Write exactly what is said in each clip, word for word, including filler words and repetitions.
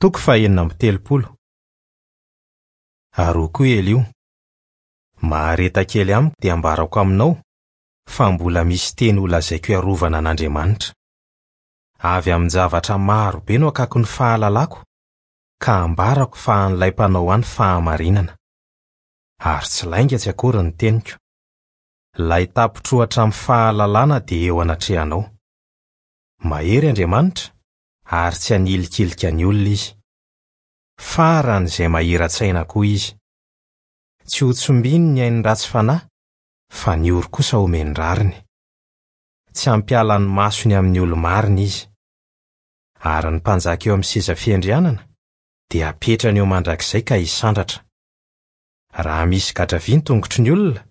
Toko fahenina amby telopolo. Ary hoy koa Eliho: Mahareta kely amiko dia ambarako aminao fa mbola misy teny holazaiko hiarovana an'Andriamanitra. Avy amin-javatra maro be no akako ny fahalalako ka ambarako fa an'ilay mpanao ahy ny fahamarinana. Ary tsy lainga tsy akory ny teniko. Ilay tapitroatra amin'ny fahalalana dia eo anatrehanao. Mahery Andriamanitra ary tsy hanilikilika ny olona izy. Faran'izay mahira-tsaina koa izy. Tsy ho tsombiny ny ain'ny ratsy fanahy, fa ny ory kosa homeny rariny. Tsy hampiala ny masony amin'ny olo-marina izy. Ary ny mpanjaka eo amin'ny seza fiandrianana dia apetrany eo mandrakizay ka hisandratra. Raha misy gadra vy ny tongotry ny olona,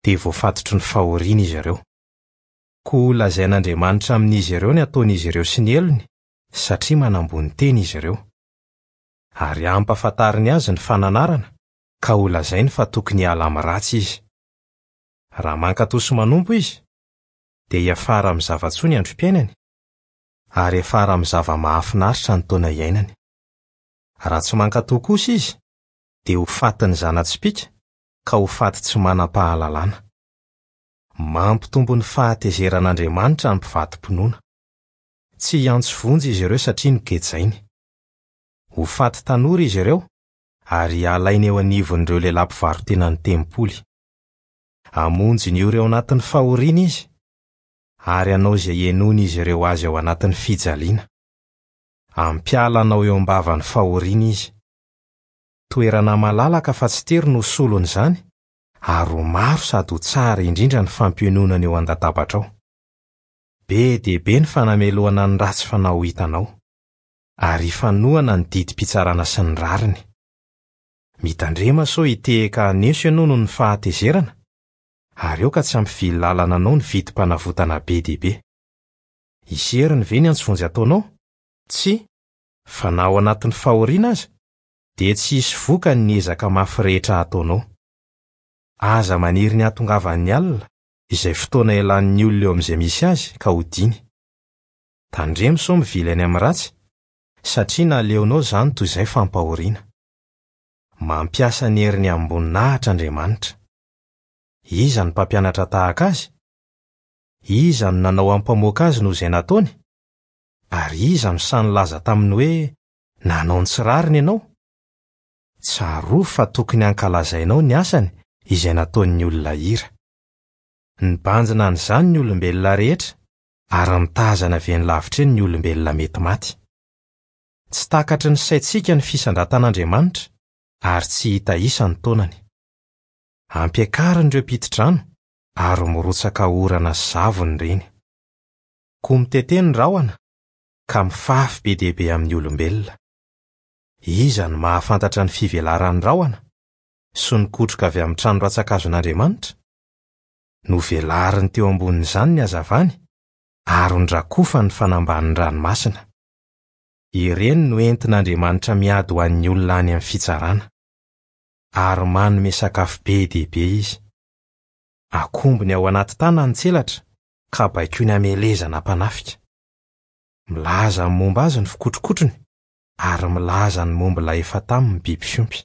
dia voafatotry ny fahoriana izy ireo. Koa lazain'Andriamanitra amin'izy ireo ny ataon'izy ireo sy ny helony, satria manambony tena izy ireo. Ary hampahafantariny azy ny fananarana, ka ho lazainy fa tokony hiala amin'ny ratsy izy. Raha mankatò sy manompo izy, dia hiafara amin'ny zava-tsoa ny androm-piainany, ary hiafara amin'ny zava-mahafinaritra ny taona iainany. Raha tsy mankatò kosa izy, dia ho fatin'ny zana-tsipìka ka ho faty tsy manam-pahalalana. Mampitombo ny fahatezeran'Andriamanitra ny mpivadi-pinoana. Tsy hiantso vonjy izy ireo satria nogejainy. Ho faty tanora izy ireo ary halaina eo anivon'ireo lehilahy mpivaro-tena ny tempoly. Hamonjy ny ory ao anatin'ny fahoriana izy ary hanao izay henoin'izy ireo azy ao anatin'ny fijaliana. Hampiala anao eo am-bavan'ny fahoriana izy. Toerana malalaka fa tsy tery no solon'izany ary ho maro sady ho tsara indrindra ny fampiononana eo an-databatrao. Be dia be ny fanamelohana ny ratsy fanao hitanao, ary hifanohana ny didim-pitsarana sy ny rariny. Mitandrema sao hitehaka haneso ianao noho ny fahatezerana, ary aoka tsy hampivily lalana anao ny vidim-panavotana be dia be. Hisy heriny ve ny antso vonjy ataonao? Tsia, fa na ao anatin'ny fahoriana aza, dia tsy hisy vokany ny ezaka mafy rehetra ataonao. Aza maniry ny hahatongavan'ny alina, izay fotoana ialan'ny olona eo amin'izay misy azy ka hodiany. Tandremo sao mivily any amin'ny ratsy, satria naleonao izany toy izay fampahoriana. Mampiasa ny heriny amim-boninahitra Andriamanitra. Iza no mpampianatra tahaka azy? Iza no nanao ampamoaka azy noho izay nataony? Ary iza no sahy nilaza taminy hoe nanao ny tsy rariny ianao? Tsarovy fa tokony hankalazainao ny asany izay nataon'ny olona hira. Nibanjina an'izany ny olombelona rehetra ary mitazana avy eny lavitra eny ny olombelona mety maty. Tsy takatry ny saintsika ny fisandratan'Andriamanitra ary tsy hita isa ny taonany. Ampiakariny ireo mpiti-drano ary mirotsaka orana sy zavony ireny. Koa mitete ny rahona ka mifafy be dia be amin'ny olombelona. Iza no mahafantatra ny fivelaran'ny rahona sy ny kotroka avy amin'ny trano rantsan-kazon'Andriamanitra? Novelariny teo ambonin'izany ny hazavany ary nodrakofany ny fanambanin'ny ranomasina. Ireny no entin'Andriamanitra miady ho an'ny olona any amin'ny fitsarana. Ary manome sakafo be dia be izy. Akombony ao anaty tanany ny tselatra ka baikoiny hamelezana mpanafika. Milaza ny momba azy ny fikotrokotrony ary milaza ny momba ilay efa taminy ny biby fiompy.